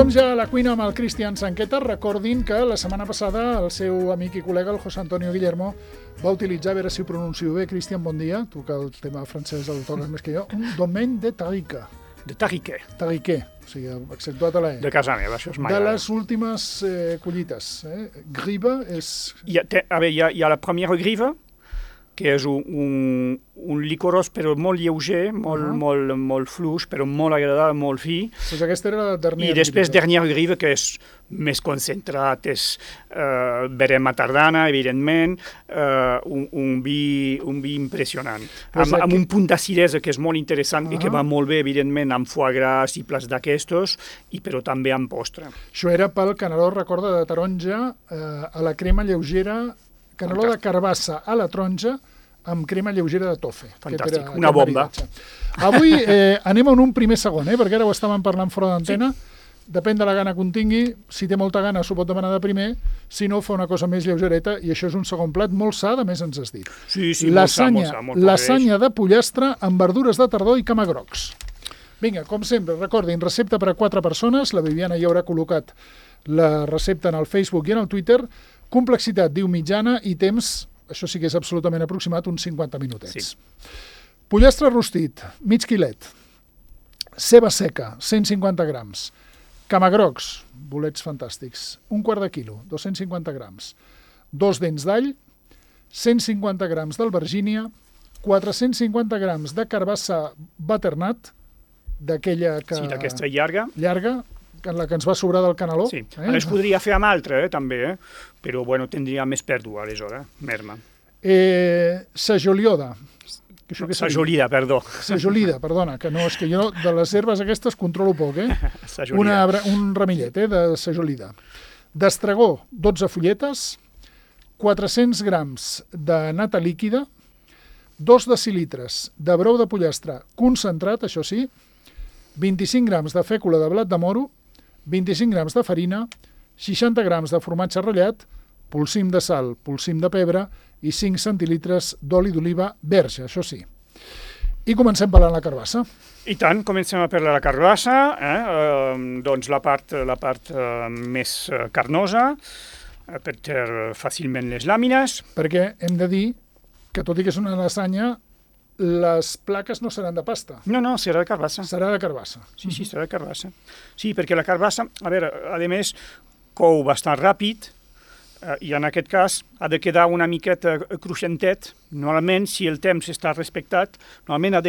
Som ja a la cuina amb el Cristian Sanqueta. Recordin que la setmana passada el seu amic i col·lega, el José Antonio Guillermo, va utilitzar, a veure si ho pronuncio bé, Cristian, bon dia, tu que el tema francès el toques més que jo, un domaine de Tarique. De Tarique. Tarique, o sigui, accentuat a la E. De casa meva, això és mai. De les últimes collites. Griva és... Hi ha la primera griva, que és un licorós però molt lleuger, molt fluix, però molt agradable, molt fi. Doncs aquesta era la dernière. I després dernière griva, que és més concentrat, és verema tardana, evidentment, un vi impressionant. Amb un punt d'acidesa que és molt interessant i que va molt bé, evidentment, amb foie gras i plats d'aquestos, però també amb postre. Això era pel caneló, recorda, de taronja a la crema lleugera, caneló de carbassa a la taronja amb crema lleugera de tofe. Fantàstic, una bomba. Avui anem en un primer segon, perquè ara ho estàvem parlant fora d'antena. Depèn de la gana que en tingui. Si té molta gana s'ho pot demanar de primer, si no fa una cosa més lleugereta, i això és un segon plat molt sa, a més ens has dit. Sí, molt sa. Lasanya de pollastre amb verdures de tardor i camagrocs. Vinga, com sempre, recordin, recepta per a 4 persones. La Viviana ja haurà col·locat la recepta en el Facebook i en el Twitter. Complexitat, diu mitjana, i temps, això sí que és absolutament aproximat, uns 50 minutets. Sí. Pollastre rostit, mig quilet. Ceba seca, 150 grams. Camagrocs, bolets fantàstics, un quart de quilo, 250 grams. 2 dents d'all, 150 grams d'albergínia, 450 grams de carbassa butternut, d'aquella que... Sí, d'aquesta llarga. Llarga, la que ens va sobrar del caneló. Sí, es podria fer amb altra, també, però bueno, tindria més pèrdua, aleshores, merma. Sajolioda. Sajolida, perdó. Sajolida, perdona, que no, és que jo de les herbes aquestes controlo poc, un ramillet, de sajolida. D'estragó, 12 fulletes, 400 grams de nata líquida, 2 decilitres de brou de pollastre concentrat, això sí, 25 grams de fècula de blat de moro, 25 grams de farina, 60 grams de formatge ratllat, polsim de sal, polsim de pebre i 5 centilitres d'oli d'oliva verge, això sí. I comencem parlant la carbassa. I tant, comencem a parlar la carbassa, doncs la part més carnosa, per treure fàcilment les làmines. Perquè hem de dir que tot i que és una lasanya, les plaques no seran de pasta. No, serà de carbassa. Serà de carbassa. Sí, serà de carbassa. Sí, perquè la carbassa, a més, cou bastant ràpid i en aquest cas ha de quedar una miqueta cruixentet. Normalment, si el temps està respectat, normalment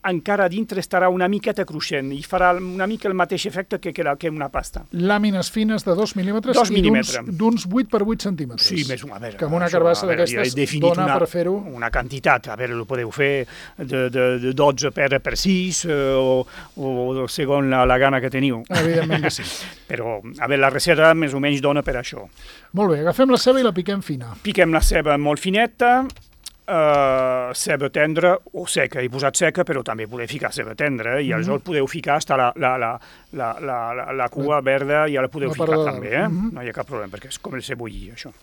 encara a dintre estarà una miqueta cruixent i farà una mica el mateix efecte que una pasta. Làmines fines de 2 mil·límetres i d'uns 8 per 8 centímetres. Sí, més una. Que amb una carbassa d'aquestes dona per fer-ho... Una quantitat, ho podeu fer de 12 per 6 o segons la gana que teniu. Evidentment que sí. Però, la recerca més o menys dona per això. Molt bé, agafem la ceba i la piquem fina. Piquem la ceba molt fineta, ceba tendra o seca. He posat seca, però també podeu ficar ceba tendra i aleshores podeu ficar fins la cua verda, ja la podeu ficar també, no hi ha cap problema, perquè és com el cebollí, això.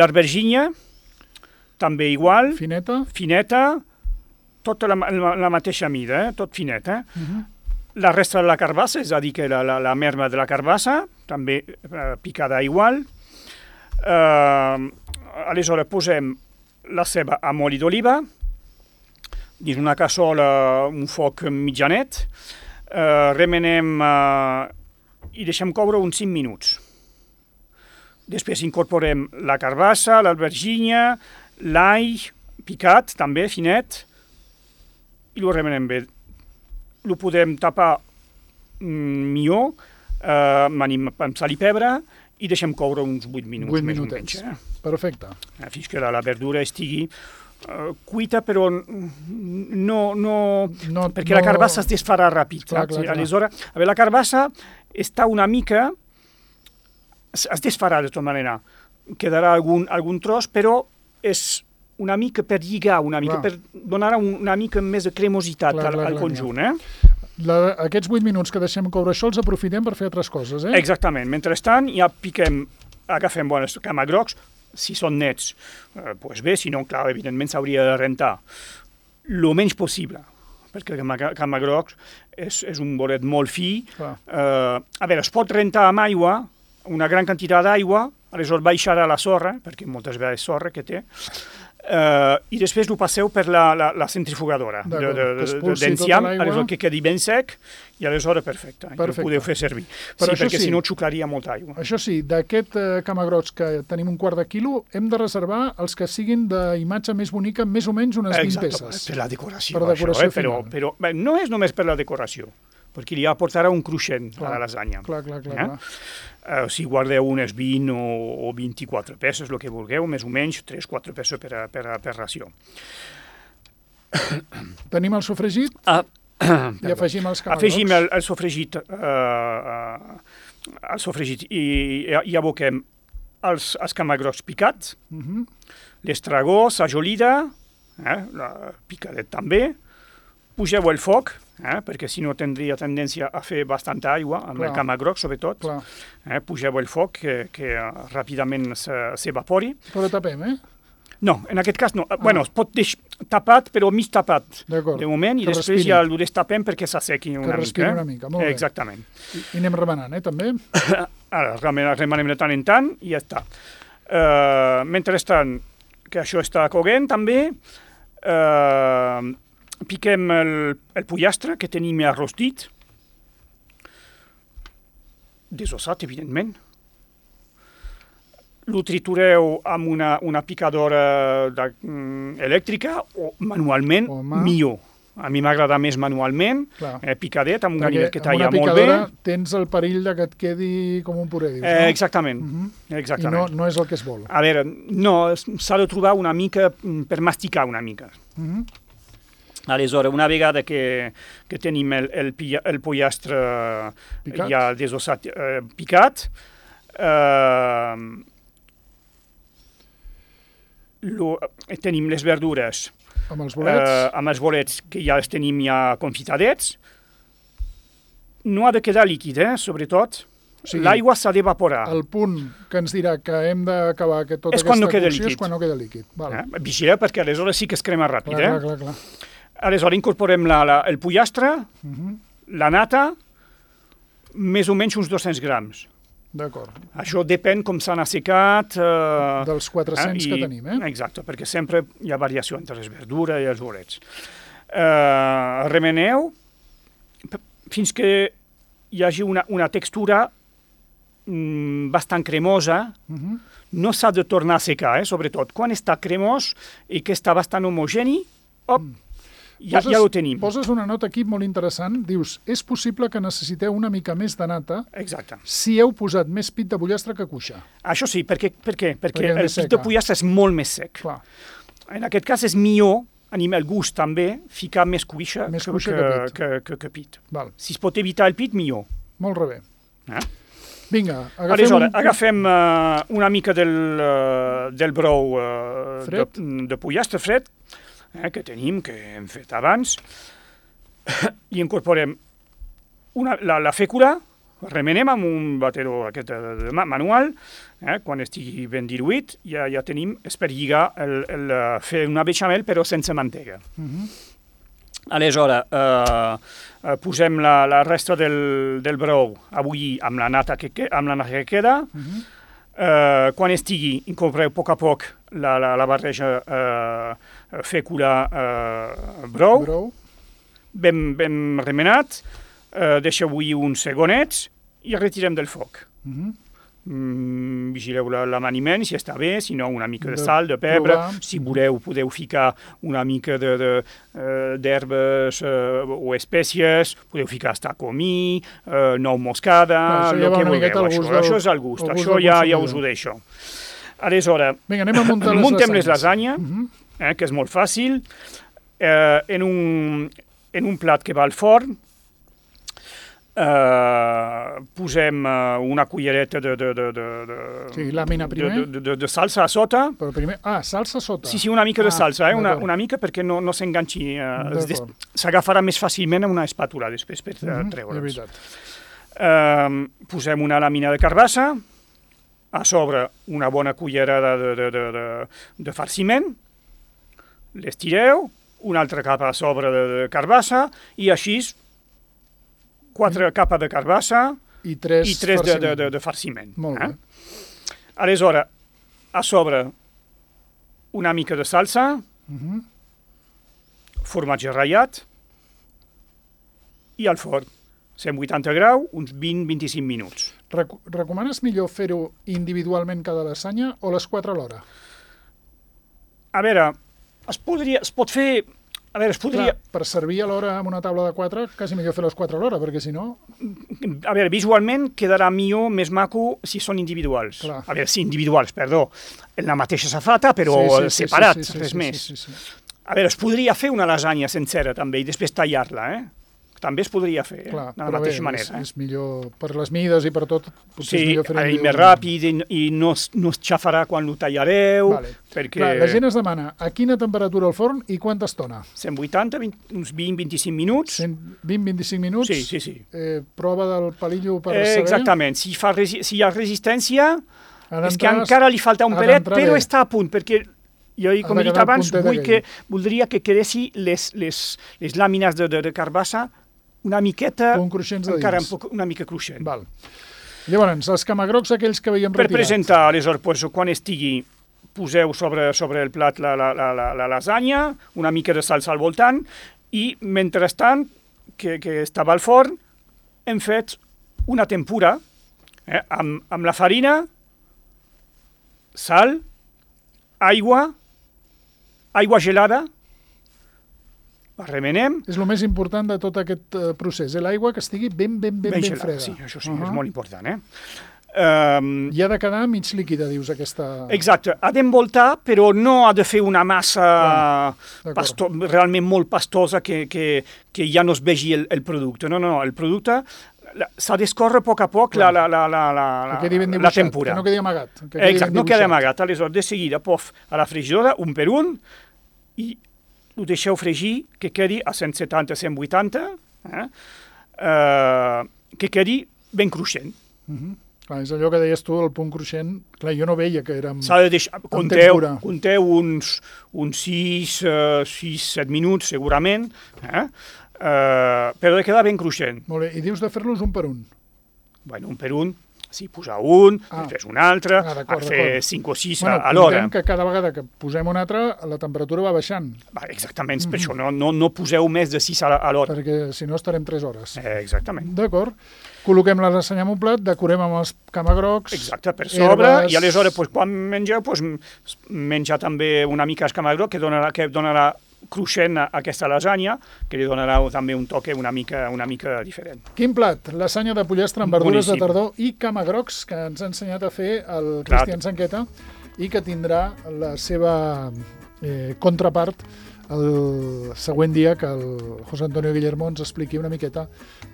L'albergínia, també igual. Fineta, tota la mateixa mida, tot finet. La resta de la carbassa, és a dir, que la merma de la carbassa, també picada igual. Aleshores posem la ceba amb oli d'oliva, dins una cassola, un foc mitjanet, remenem i deixem coure uns 5 minuts. Després incorporem la carbassa, l'albergínia, l'all picat, també finet, i ho remenem bé. Ho podem tapar millor amb sal i pebre i deixem coure uns 8 minuts. 8 minutets, perfecte. Fins que la verdura estigui cuita, però no perquè la carbassa es desfarà ràpid. Aleshores, la carbassa està una mica... es desfarà de tota manera. Quedarà algun tros, però és una mica per lligar, per donar una mica més de cremositat al conjunt. Aquests 8 minuts que deixem coure això els aprofitem per fer altres coses, Exactament. Mentrestant ja agafem bons camagrocs, si són nets, doncs bé, si no, clar, evidentment s'hauria de rentar el menys possible, perquè el camagroc és un bolet molt fi. A veure, es pot rentar amb aigua, una gran quantitat d'aigua, aleshores baixar a la sorra, perquè moltes vegades sorra que té, i després ho passeu per la centrifugadora d'enciam, aleshores que quedi ben sec, i aleshores perfecte, ho podeu fer servir. Sí, perquè si no xuclaria molta aigua. Això sí, d'aquest camagrocs que tenim un quart de quilo, hem de reservar els que siguin d'imatge més bonica, més o menys unes 20 peces. Per la decoració, això, però no és només per la decoració, perquè li aportarà un cruixent a la lasanya. Clar. Si guardeu unes 20 o 24 peces, el que vulgueu, més o menys 3-4 peces per ració. Tenim el sofregit i afegim els camagrocs. Afegim el sofregit i aboquem els camagrocs picats, l'estragó, sajolida, la picadet també, pugeu el foc, perquè si no tindria tendència a fer bastanta aigua, amb el camagroc sobretot. Pugeu el foc que ràpidament s'evapori. Però tapem, No, en aquest cas no. Bueno, es pot deixar tapat, però mig tapat de moment, i després ja el destapem perquè s'assequi una mica. Que respiri una mica, molt bé. Exactament. I anem remenant, també? Ara, remenem de tant en tant i ja està. Mentrestant, que això està coguent també, piquem el pollastre que tenim ja rostit, desossat, evidentment. Lo tritureu amb una picadora elèctrica o manualment, millor. A mi m'agrada més manualment, picadet, amb un ganivet que talla molt bé. Amb una picadora tens el perill de que et quedi com un puré, dius, no? Exactament. I no és el que es vol. A veure, no, s'ha de trobar una mica per masticar una mica. Aleshores, una vegada que tenim el pollastre ja desossat picat, tenim les verdures amb els bolets que ja els tenim ja confitadets. No ha de quedar líquid, sobretot. L'aigua s'ha d'evaporar. El punt que ens dirà que hem d'acabar tota aquesta cocció és quan no queda líquid. Vigileu, perquè aleshores sí que es crema ràpid. Clar. Aleshores incorporem el pollastre, la nata, més o menys uns 200 grams. D'acord. Això depèn com s'han assecat. Dels 400 que tenim, Exacte, perquè sempre hi ha variació entre les verdures i els bolets. Remeneu fins que hi hagi una textura bastant cremosa. No s'ha de tornar a secar, sobretot. Quan està cremós i que està bastant homogeni, ja ho tenim. Poses una nota aquí molt interessant. Dius, és possible que necessiteu una mica més de nata si heu posat més pit de pollastre que cuixa. Això sí, per què? Perquè el pit de pollastre és molt més sec. En aquest cas és millor, a el gust també, ficar més cuixa que pit. Si es pot evitar el pit, millor. Molt bé. Vinga, agafem una mica del brou de pollastre fred, que tenim, que hem fet abans, i incorporem la fècula, remenem amb un batedor manual, quan estigui ben diluït, ja tenim, és per lligar, fer una bechamel però sense mantega. Aleshores, posem la resta del brou a bullir amb la nata que queda. Quan estigui, incorporeu a poc la barreja fècula-brou, ben remenat, deixeu bullir uns segonets i retirem del foc. Vigileu l'amaniment, si està bé, si no una mica de sal, de pebre. Si voleu, podeu ficar una mica d'herbes o espècies, podeu ficar comí, nou moscada, el que vulgueu. Això és al gust, això ja us ho deixo. Aleshores, muntem les lasagnes, que és molt fàcil, en un plat que va al forn, posem una cullereta de salsa a sota. Salsa a sota. Sí, una mica de salsa, una mica perquè no s'enganxi. S'agafarà més fàcilment amb una espàtula després per treure'ls. Posem una làmina de carbassa, a sobre una bona cullerada de farciment, l'estireu, una altra capa a sobre de carbassa i així 4 capes de carbassa i 3 de farciment. Molt bé. Aleshores, a sobre una mica de salsa, formatge ratllat i al forn. 180 graus, uns 20-25 minuts. Recomanes millor fer-ho individualment cada lasanya o les 4 alhora? A veure, es pot fer... A veure, es podria... Clar, per servir alhora amb una taula de 4, quasi millor fer les 4 alhora, perquè si no... A veure, visualment quedarà millor, més maco, si són individuals. Clar. A veure, sí, individuals, perdó. En la mateixa safata, però separats, res més. A veure, es podria fer una lasanya sencera, també, i després tallar-la, també es podria fer, clar, de la mateixa manera. És millor, per les mides i per tot, potser és millor fer-ho i més ràpid i no es xafarà quan ho tallareu. Vale. Perquè... Clar, la gent es demana a quina temperatura al forn i quanta estona? 180, uns 20-25 minuts. 20-25 minuts? Sí. Prova del palillo per saber? Exactament. Si hi ha resistència, és que encara li falta un pelet, però està a punt, perquè jo, com he dit abans, voldria que quedessin les làmines de carbassa una miqueta, encara una mica cruixent. Val. Llavors, els camagrocs aquells que veiem retirat. Per presentar, aleshores, quan estigui, poseu sobre el plat la lasanya, una mica de salsa al voltant, i mentrestant, que estava al forn, hem fet una tempura amb la farina, sal, aigua gelada, la remenem. És el més important de tot aquest procés, l'aigua que estigui ben freda. Sí, això sí, és molt important. I ha de quedar mig líquida, dius, aquesta... Exacte, ha d'envoltar, però no ha de fer una massa realment molt pastosa que ja no es vegi el producte. No, el producte s'ha d'escórrer a poc la tempura. Que no quedi amagat. Exacte, no quedi amagat. Aleshores, de seguida, a la fregidora, un per un, i ho deixeu fregir, que quedi a 170-180, que quedi ben cruixent. Clar, és allò que deies tu, el punt cruixent. Clar, jo no veia que era amb s'ha de deixar, compteu uns 6-7 minuts, segurament, però de quedar ben cruixent. Molt bé, i dius de fer-los un per un? Bueno, un per un, sí, posar un, després un altre, fer 5 o 6 a l'hora. Comptem que cada vegada que posem un altre, la temperatura va baixant. Exactament, per això no poseu més de 6 a l'hora. Perquè si no estarem 3 hores. Exactament. D'acord. Col·loquem la lasanya en un plat, decorem amb els camagrocs, exacte, per sobre, i aleshores, quan mengeu, menjar també una mica el camagroc, que donarà cruixent a aquesta lasanya, que li donarà també un toque una mica diferent. Quin plat? Lasanya de pollastre amb verdures de tardor i camagrocs, que ens ha ensenyat a fer el Cristian Sanqueta i que tindrà la seva contrapart el següent dia que el José Antonio Guillermo ens expliqui una miqueta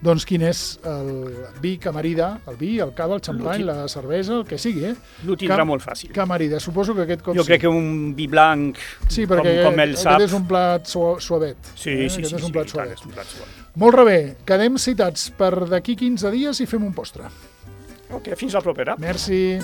doncs quin és el vi camarida, el vi, el cava, el xampany, la cervesa, el que sigui. L'ho tindrà molt fàcil. Camarida, suposo que aquest cop jo crec que un vi blanc, com ell sap... Aquest és un plat suavet. Sí, aquest és un plat suavet. Molt bé, quedem citats per d'aquí 15 dies i fem un postre. Ok, fins la propera. Merci.